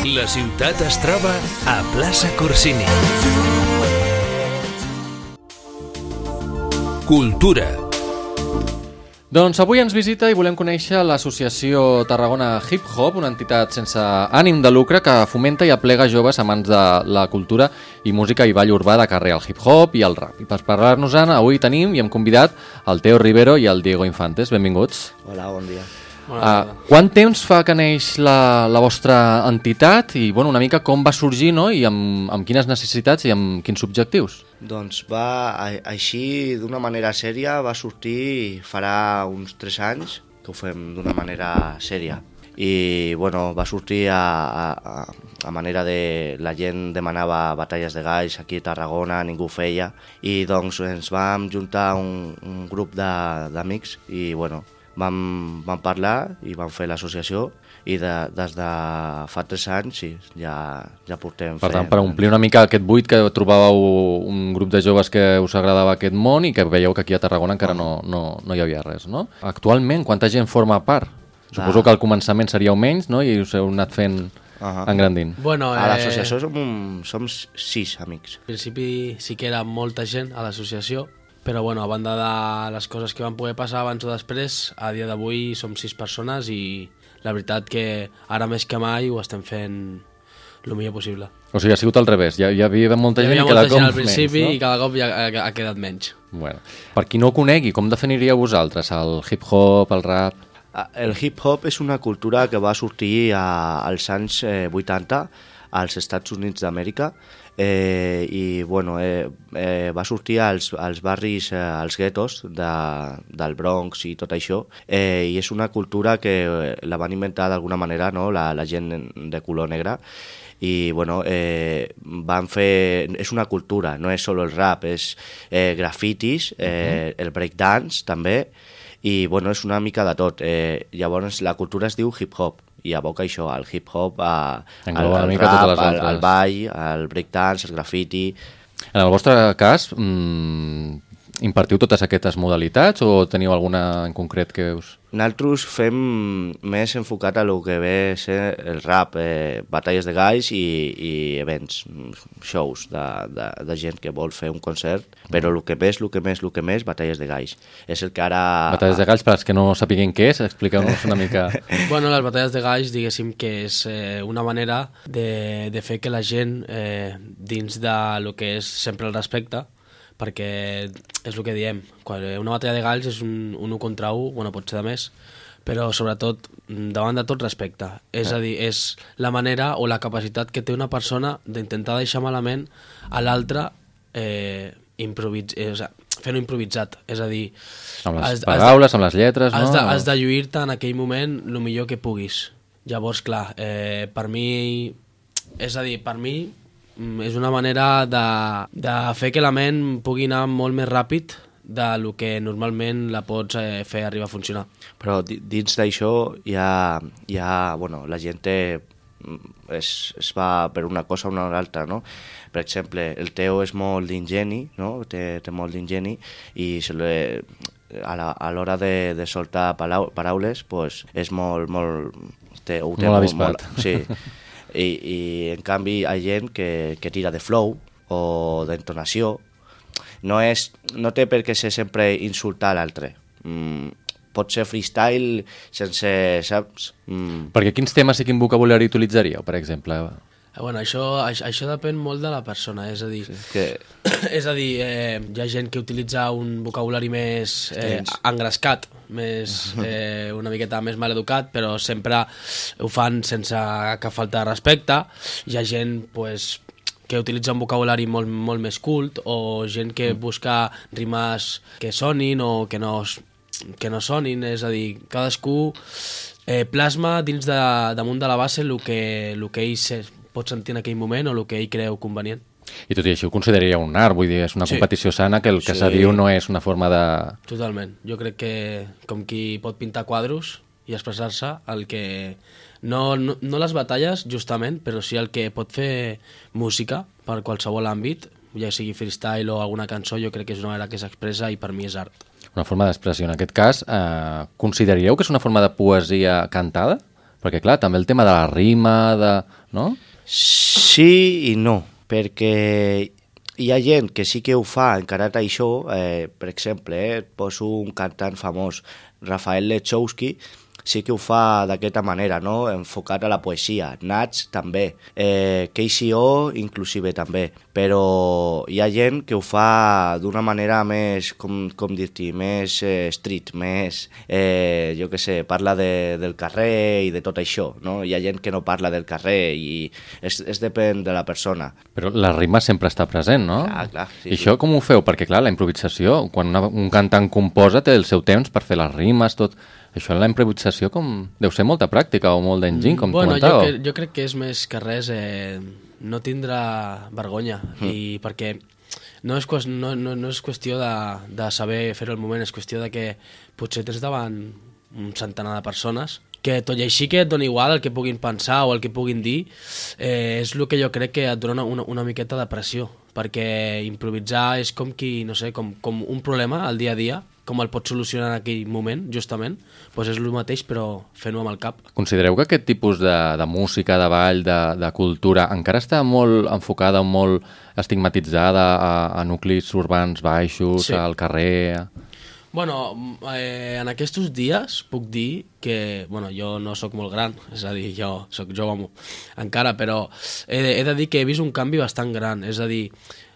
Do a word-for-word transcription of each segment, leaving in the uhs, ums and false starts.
La ciutat es troba a Plaça Corsini. Cultura. Doncs avui ens visita i volem conèixer l'Associació Tarragona Hip Hop, una entitat sense ànim de lucre que fomenta i aplega joves amants de la cultura i música i ball urbà de carrer, el hip hop i el rap. I per parlar-nos-en, avui tenim i hem convidat el Teo Rivero i el Diego Infantes. Benvinguts. Hola, bon dia. Uh, quant temps fa que neix la, la vostra entitat i bueno, una mica com va sorgir, no? I amb, amb quines necessitats i amb quins objectius? Doncs va, a, així d'una manera sèria va sortir farà uns tres anys que ho fem d'una manera sèria i bueno, va sortir a, a, a manera de... la gent demanava batalles de galls aquí a Tarragona, ningú ho feia i doncs ens vam juntar un, un grup d'amics i bueno, Vam, vam parlar i vam fer l'associació i de, des de fa tres anys sí, ja, ja portem per tant, fent... per omplir una mica aquest buit que trobàveu un grup de joves que us agradava aquest món i que veieu que aquí a Tarragona encara no, no, no hi havia res, no? Actualment, quanta gent forma part? Suposo ah. que al començament seríeu menys, no? I us heu anat fent uh-huh. engrandint. Bueno, a eh... l'associació som, un, som sis amics. Al principi sí que era molta gent a l'associació, però bueno, a banda de les coses que van poder passar abans o després, a dia d'avui som sis persones i la veritat que ara més que mai ho estem fent el millor possible. O sigui, ha sigut al revés, ja, ja havia molta gent i cada cop menys, al principi menys, no? I cada cop ja ha, ha quedat menys. Bueno, per qui no ho conegui, com definiríeu vosaltres el hip-hop, el rap? El hip-hop és una cultura que va sortir a, als anys eh, vuitanta als Estats Units d'Amèrica eh, i bueno, eh, eh, va sortir als, als barris, eh, als guetos de, del Bronx i tot això eh, i és una cultura que la van inventar d'alguna manera, no? la, la gent de color negre i bueno, eh, van fer... és una cultura, no és solo el rap, és eh, grafitis, eh, el breakdance també i bueno, és una mica de tot. Eh, llavors la cultura es diu hip-hop i aboca això, el hip-hop, al, al rap, al, al ball, al breakdance, al graffiti... En el vostre cas, mmm, impartiu totes aquestes modalitats o teniu alguna en concret que us... Nosaltres fem més enfocat a lo que ve a ser el rap, eh, batalles de galls i, i events, shows de, de, de gent que vol fer un concert, però el que més, el que més, el que més, batalles de galls. És el que ara... Batalles de galls, per als que no sapiguin què és, expliqueu-nos una mica... Bueno, les batalles de galls, diguéssim que és eh, una manera de, de fer que la gent, eh, dins de lo que és sempre el respecte, perquè és el que diem, quan una batalla de galls és un, un u contra u, bueno, pot ser de més, però sobretot davant de tot respecte. És a dir, és la manera o la capacitat que té una persona d'intentar deixar malament a l'altre eh, improvis eh, o sigui, fent-ho improvisat. És a dir... Amb les has, paraules, has de, amb les lletres, has no? De, has de lluir-te en aquell moment el millor que puguis. Llavors, clar, eh, per mi... És a dir, per mi... és una manera de, de fer que la ment pugui anar molt més ràpid del que normalment la pots eh, fer arribar a funcionar. Però dins d'això hi ha, hi ha, bueno, la gent té, es, es va per una cosa o una altra, no? Per exemple, el Teo és molt d'ingeni, no? té, té molt d'ingeni i se li, a l'hora de, de soltar paraules pues, és molt... molt té, ho té molt molt avispat. Molt, sí. I, i en canvi hi ha gent que, que tira de flow o d'entonació. No, és, no té per què ser sempre insultar l'altre. Mm, pot ser freestyle sense, saps? Mm. Perquè quins temes i quin vocabulari utilitzaríeu, per exemple? Bueno, això, això, això depèn molt de la persona, és a dir, sí, que... és a dir eh, hi ha gent que utilitza un vocabulari més eh, engrescat, més, eh, una miqueta més maleducat, però sempre ho fan sense cap falta de respecte. Hi ha gent pues, que utilitza un vocabulari molt, molt més cult o gent que busca rimes que sonin o que no, que no sonin, és a dir, cadascú eh, plasma dins de, damunt de la base el que, el que ell pot sentir en aquell moment o el que ell creu convenient. I tot i així ho consideraria un art, vull dir, és una sí. competició sana que el que sí. se diu no és una forma de... Totalment. Jo crec que com qui pot pintar quadros i expressar-se, el que... No, no, no les batalles, justament, però sí el que pot fer música per qualsevol àmbit, ja sigui freestyle o alguna cançó, jo crec que és una manera que s'expressa i per mi és art. Una forma d'expressió. En aquest cas, eh, consideraríeu que és una forma de poesia cantada? Perquè, clar, també el tema de la rima, de no? Sí i no, perquè hi ha gent que sí que ho fa encarat a això, eh, per exemple, eh, poso un cantant famós, Rafael Lechowski, sí que ho fa d'aquesta manera, no? Enfocat a la poesia. Nats també, eh, Casey O inclusive també, però hi ha gent que ho fa d'una manera més, com, com dir-t'hi, més eh, street, més, eh, jo què sé, parla de, del carrer i de tot això, no? Hi ha gent que no parla del carrer i es, es depèn de la persona. Però la rima sempre està present, no? Clar, clar. Sí, I això sí. com ho feu? Perquè, clar, la improvisació, quan una, un cantant composa té el seu temps per fer les rimes, tot... Això en la improvisació com... deu ser molta pràctica o molt d'enginy, com bueno, comentàveu. Jo, jo crec que és més que res eh, no tindre vergonya, mm. i perquè no és, qüest, no, no, no és qüestió de, de saber fer-ho al moment, és qüestió de que potser tens davant un centenar de persones que tot i així que et dona igual el que puguin pensar o el que puguin dir, eh, és el que jo crec que et dona una, una miqueta de pressió, perquè improvisar és com qui, no sé, com, com un problema al dia a dia, com el pots solucionar en aquell moment, justament, doncs és el mateix, però fent-ho amb el cap. Considereu que aquest tipus de, de música, de ball, de, de cultura, encara està molt enfocada, molt estigmatitzada a, a nuclis urbans baixos, Sí. al carrer... Bueno, eh, en aquests dies puc dir que, bueno, jo no sóc molt gran, és a dir, jo sóc jove encara, però he, he de dir que he vist un canvi bastant gran, és a dir,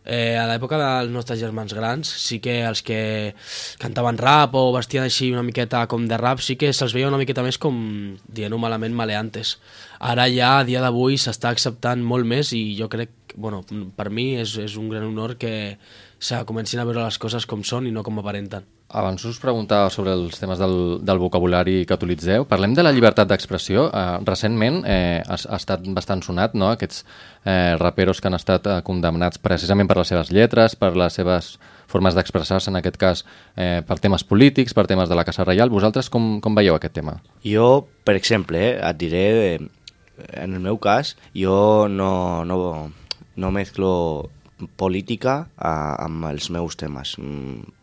eh, a l'època dels nostres germans grans sí que els que cantaven rap o vestien així una miqueta com de rap sí que se'ls veia una miqueta més com, dient-ho malament, maleantes. Ara ja, a dia d'avui, s'està acceptant molt més i jo crec, bueno, per mi és, és un gran honor que se comencin a veure les coses com són i no com aparenten. Abans us preguntava sobre els temes del, del vocabulari que utilitzeu. Parlem de la llibertat d'expressió. Eh, recentment eh, ha, ha estat bastant sonat, no?, aquests eh, raperos que han estat eh, condemnats precisament per les seves lletres, per les seves formes d'expressar-se, en aquest cas eh, per temes polítics, per temes de la Casa Reial. Vosaltres com, com veieu aquest tema? Jo, per exemple, eh, et diré, eh, en el meu cas, jo no, no, no mezclo política a, amb els meus temes.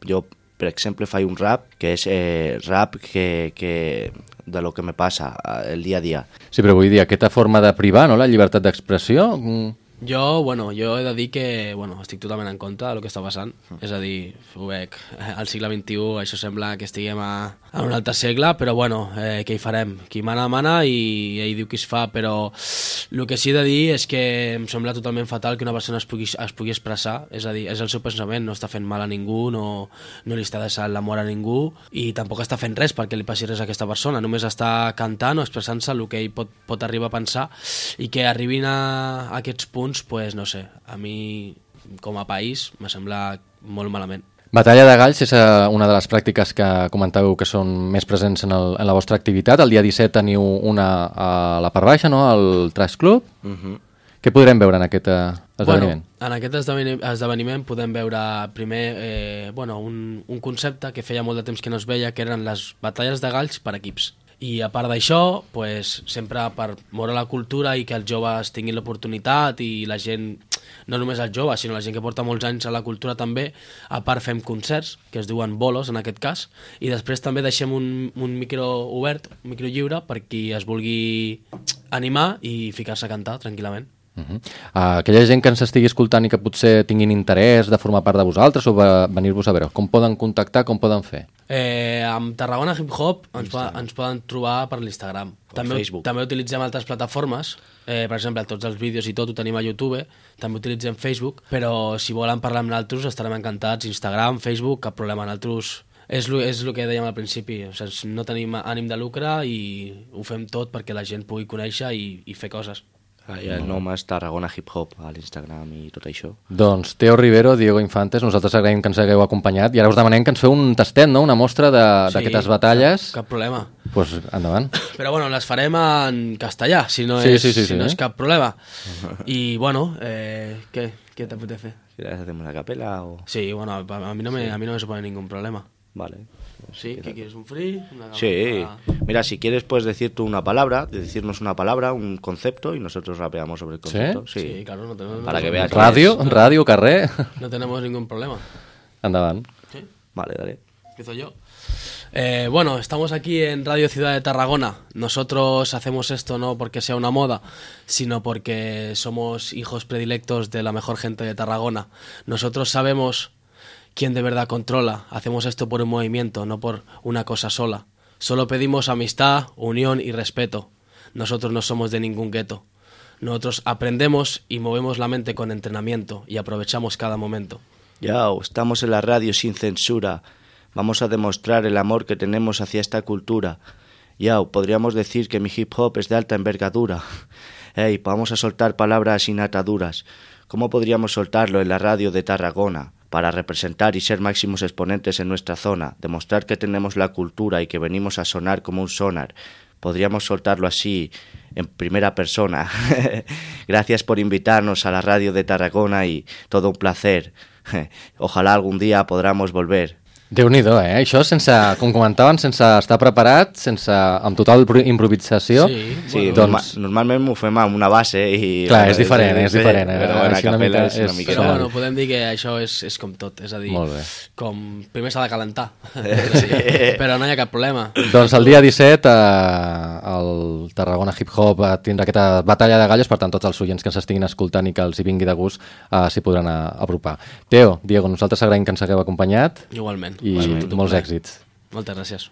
Jo, per exemple, faig un rap que és eh, rap que, que de lo que me passa el dia a dia. Sí, però vull dir, aquesta forma de privar, no?, la llibertat d'expressió... Mm. Jo, bueno, jo he de dir que bueno, estic totalment en contra del que està passant. Mm. És a dir, ho veig, al segle vint-i-u això sembla que estiguem a, a un altre segle, però bueno, eh, què hi farem? Qui mana, mana i ell diu qui es fa, però el que sí he de dir és que em sembla totalment fatal que una persona es pugui, es pugui expressar, és a dir, és el seu pensament, no està fent mal a ningú, no, no li està deixant l'amor a ningú i tampoc està fent res perquè li passi res a aquesta persona, només està cantant o expressant-se el que ell pot, pot arribar a pensar i que arribin a, a aquests punts pues no sé, a mi com a país me sembla molt malament. Batalla de Galls és una de les pràctiques que comentàveu que són més presents en, el, en la vostra activitat. El dia disset teniu una a la part baixa, no?, al Trash Club. Uh-huh. Què podrem veure en aquest uh, esdeveniment? Bueno, en aquest esdeveniment, esdeveniment podem veure primer eh, bueno, un, un concepte que feia molt de temps que no es veia, que eren les batalles de galls per equips. I a part d'això, pues, sempre per moure la cultura i que els joves tinguin l'oportunitat i la gent, no només els joves, sinó la gent que porta molts anys a la cultura també, a part fem concerts, que es diuen bolos en aquest cas, i després també deixem un, un micro obert, un micro lliure, per qui es vulgui animar i ficar-se a cantar tranquil·lament. Uh-huh. uh, aquella gent que ens estigui escoltant i que potser tinguin interès de formar part de vosaltres o venir-vos a veure, com poden contactar, com poden fer? Eh, amb Tarragona Hip Hop ens, po ens poden trobar per l'Instagram. També, també utilitzem altres plataformes, eh, per exemple, tots els vídeos i tot ho tenim a YouTube, també utilitzem Facebook, però si volen parlar amb nosaltres estarem encantats, Instagram, Facebook, cap problema, nosaltres... És el és lo que dèiem al principi, o sigui, no tenim ànim de lucre i ho fem tot perquè la gent pugui conèixer i, i fer coses. I el nom és Tarragona Hip Hop a l'Instagram i tot això. Doncs Teo Rivero, Diego Infantes, nosaltres agraïm que ens hagueu acompanyat i ara us demanem que ens feu un tastet, no?, una mostra d'aquestes sí, batalles. Cap, cap problema. Doncs pues, endavant. Però bueno, les farem en castellà, si no, sí, és, sí, sí, si sí, no eh? és cap problema. I bueno, eh, què, què te pot fer? ¿Quieres hacer una capela o...? Sí, bueno, a, a, mí no me, sí. a mí no me supone ningún problema. Vale. ¿Sí? ¿Qué quieres? ¿Un free? Una sí. Mira, si quieres puedes decir tú una palabra, decirnos una palabra, un concepto y nosotros rapeamos sobre el concepto. ¿Sí? Sí, sí claro. No tenemos, Para que veas. Radio, no, radio, carrer. No tenemos ningún problema. Endavant. ¿Sí? Vale, dale. Empiezo yo. Eh, bueno, estamos aquí en Radio Ciudad de Tarragona. Nosotros hacemos esto no porque sea una moda, sino porque somos hijos predilectos de la mejor gente de Tarragona. Nosotros sabemos quién de verdad controla. Hacemos esto por un movimiento, no por una cosa sola. Solo pedimos amistad, unión y respeto. Nosotros no somos de ningún gueto. Nosotros aprendemos y movemos la mente con entrenamiento y aprovechamos cada momento. Ya, estamos en la radio sin censura. Vamos a demostrar el amor que tenemos hacia esta cultura. Ya, podríamos decir que mi hip hop es de alta envergadura. Hey, vamos a soltar palabras sin ataduras. ¿Cómo podríamos soltarlo en la radio de Tarragona? Para representar y ser máximos exponentes en nuestra zona, demostrar que tenemos la cultura y que venimos a sonar como un sonar. Podríamos soltarlo así, en primera persona. Gracias por invitarnos a la radio de Tarragona y todo un placer. Ojalá algún día podamos volver. Déu-n'hi-do, eh? Això sense, com comentaven, sense estar preparat, sense, amb total improvisació. Sí, sí bueno, doncs... norma, normalment m'ho fem amb una base i... Clar, és diferent, és diferent. Eh? Però bueno, a capella és una mica... Però bueno, podem dir que això és, és com tot, és a dir, com primer s'ha de calentar, sí. Però no hi ha cap problema. Doncs el dia disset eh, el Tarragona Hip Hop tindrà aquesta batalla de gallos, per tant tots els oients que ens estiguin escoltant i que els hi vingui de gust eh, s'hi podran apropar. Teo, Diego, nosaltres agraïm que ens hagueu acompanyat. Igualment. I molts èxits. Moltes gràcies.